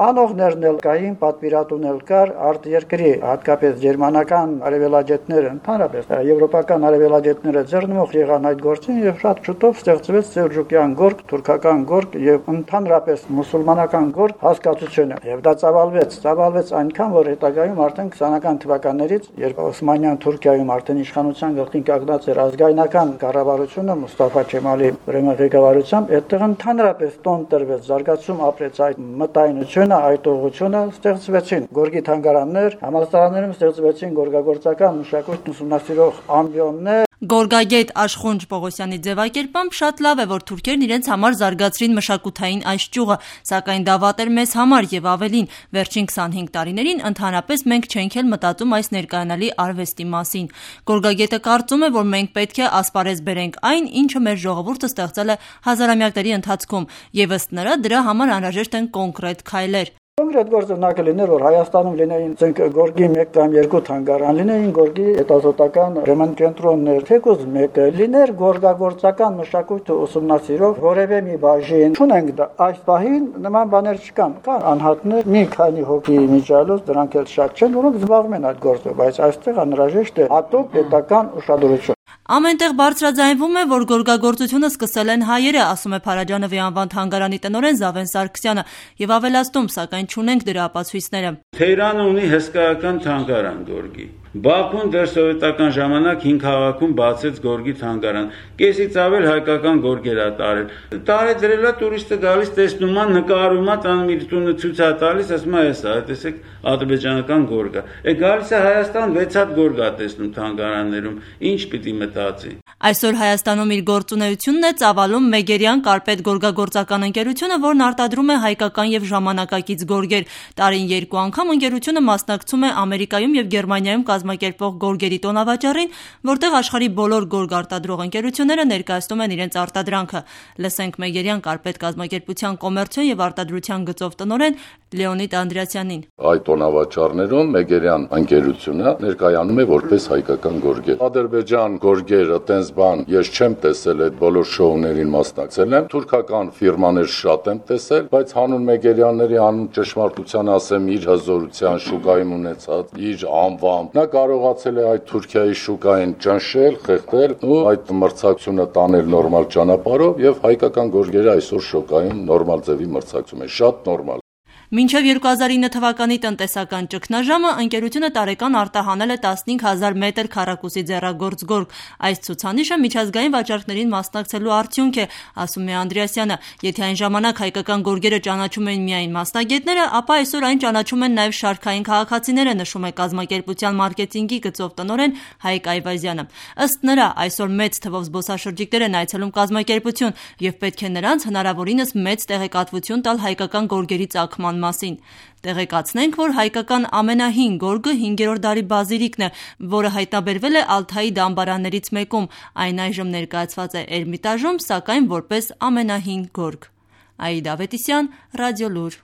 Անողներն էլ կային, պատվիրատուն էլ կար, արտերկրի, հատկապես գերմանական արևելաջետները, ընդհանրապես եվրոպական արևելաջետները ձեռնմուխ եղան այդ գործին եւ շատ շուտով ստեղծվեց Սելջուկյան գորգ, թուրքական գորգ եւ ընդհանրապես մուսուլմանական գորգ հասկացությունը։ Եվ դա ծավալվեց այնքան, որ հետագայում արդեն 20-ական թվականներից, երբ Օսմանյան Թուրքիայում արդեն իշխանության գլխին կանգնած էր ազգայնական կառավարությունը Մուստաֆա Քեմալի ղեկավարությամբ, այդտեղ ընդհանրապես տոն տրվեց, զարգացում ապրեց այդ մտայնությունը, այդ ուղղությունը, ստեղծվեցին գորգի թանգարաններ, համալսարաններում ստեղծվեցին գորգագործական մշակույթ ուսումնասիրող ամբիոններ։ Գորգագետ Աշխունջ Պողոսյանի ձևակերպամբ շատ լավ է, որ թուրքերն իրենց համար զարգացրին մշակութային այս ճյուղը, սակայն դա վատ էր մեզ համար եւ ավելին, վերջին 25 տարիներին ընդհանրապես մենք չենք էլ մտածում այս ներկայանալի արվեստի մասին։ Գորգագետը կարծում է, որ մենք պետք է ասպարեզ բերենք այն, ինչը մեր ժողովուրդը ստեղծել է հազարամյակների ընթացքում, եւ ըստ նրա դրա համար անհրաժեշտ են կոնկրետ քայլեր։ Կոնկրետ գործնակը լիներ, որ Հայաստանում լինեին գորգի 1 կամ 2 թանգարան, լինեին գորգի հետազոտական կենտրոններ, թեկուզ մեկը լիներ գորգագործական մշակույթը ուսումնասիրող որևէ մի բաժին։ Չունենք դա այս պահին նման բաներ չկան։ Կան անհատներ, մի քանի հոգի միջալոց, դրանք էլ շատ չեն, որոնք զբաղվում են այդ գործով, բայց այստեղ անհրաժեշտ է հատուկ պետական ուշադրություն։ Ամենտեղ բարձրաձայնվում է, որ գորգագործությունը սկսել են հայերը, ասում է Փարաջանովի անվան թանգարանի տնօրեն Զավեն Սարգսյանը, եւ ավելացնում, սակայն չունենք դրա ապացույցները։ Թեհրանը ունի հսկայական թանգարան գորգի։ Բաքուն դեռ սովետական ժամանակ 5 քաղաքում բացեց գորգի թանգարան։ Կեսից ավել հայկական գորգեր ա տարել։ Տարեդրելա տուրիստը գալիս տեսնում ա, նկարում ա, տան իր տունը ցույց ա տալիս, ասում ա, էս ա, տեսեք, ադրբեջանական գորգ ա։ Գալիս է Հայաստան 6 հատ գորգ ա տեսնում թանգարաններում։ Ինչ պիտի մտածի։ Այսօր Հայաստանում իր գործունեությունն է ծավալում Մեգերյան Կարպետ գորգագործական ընկերությունը, որն արտադրում է հայկական եւ ժամանակակից գորգեր։ Տարին 2 անգամ ընկերությունը մասնակցում է Ամերիկայում եւ Գերմանիայում կազմակերպվող գորգերի տոնավաճառին, որտեղ աշխարհի բոլոր գորգ արտադրող ընկերությունները ներկայացնում են իրենց արտադրանքը։ Լսենք Մեգերյան Կարպետ կազմակերպության կոմերցիոն եւ արտադրության գծով տնօրեն Լեոնիդ Անդրեասյանին։ Այդ տոնավաճառներում Մեգերյան ընկերությունը ներկայանում է որպես հայկական գորգեր։ Ադրբեջան գորգերը տենց բան ես չեմ տեսել, այդ բոլոր շոուներին մասնակցել եմ, թուրքական ֆիրմաներ շատ եմ տեսել, բայց հանուն Մեգերյանների անուն ճշմարտության ասեմ իր հզորության շուկայում ունեցած իր անվամբ նա կարողացել է այդ Թուրքիայի շուկային ճնշել, խեղդել ու այդ մրցակցությունը տանել նորմալ ճանապարհով եւ հայկական գորգերը այսօր շուկայում նորմալ ձևի մրցակցում է, շատ նորմալ։ Մինչև 2009 թվականի տնտեսական ճգնաժամը ընկերությունը տարեկան արտահանել է 15,000 մետր քառակուսի ձեռագործ գորգ։ Այս ցուցանիշը միջազգային վաճառքներին մասնակցելու արդյունք է, ասում է Անդրեասյանը։ Եթե այն ժամանակ հայկական գորգերը ճանաչում էին միայն մասնագետները, ապա այսօր այն ճանաչում են նաև շարքային քաղաքացիները, նշում է կազմակերպության մարքեթինգի գծով տնօրեն Հայկ Այվազյանը։ Ըստ նրա, այսօր մեծ թվով զբոսաշրջիկներ են այցելում կազմակերպություն եւ պետք է նրանց հնարավորինս մեծ տեղեկատվություն տալ հայկական գորգերի ծագման մասին։ Տեղեկացնենք, որ հայկական ամենահին գորգը 5-րդ դարի բազիլիկն է, որը հայտնաբերվել է Ալթայի դամբարաններից մեկում։ Այն այժմ ներկայացված է Էրմիտաժում, սակայն որպես ամենահին գորգ։ Աիդա Ավետիսյան, Ռադիոլուր։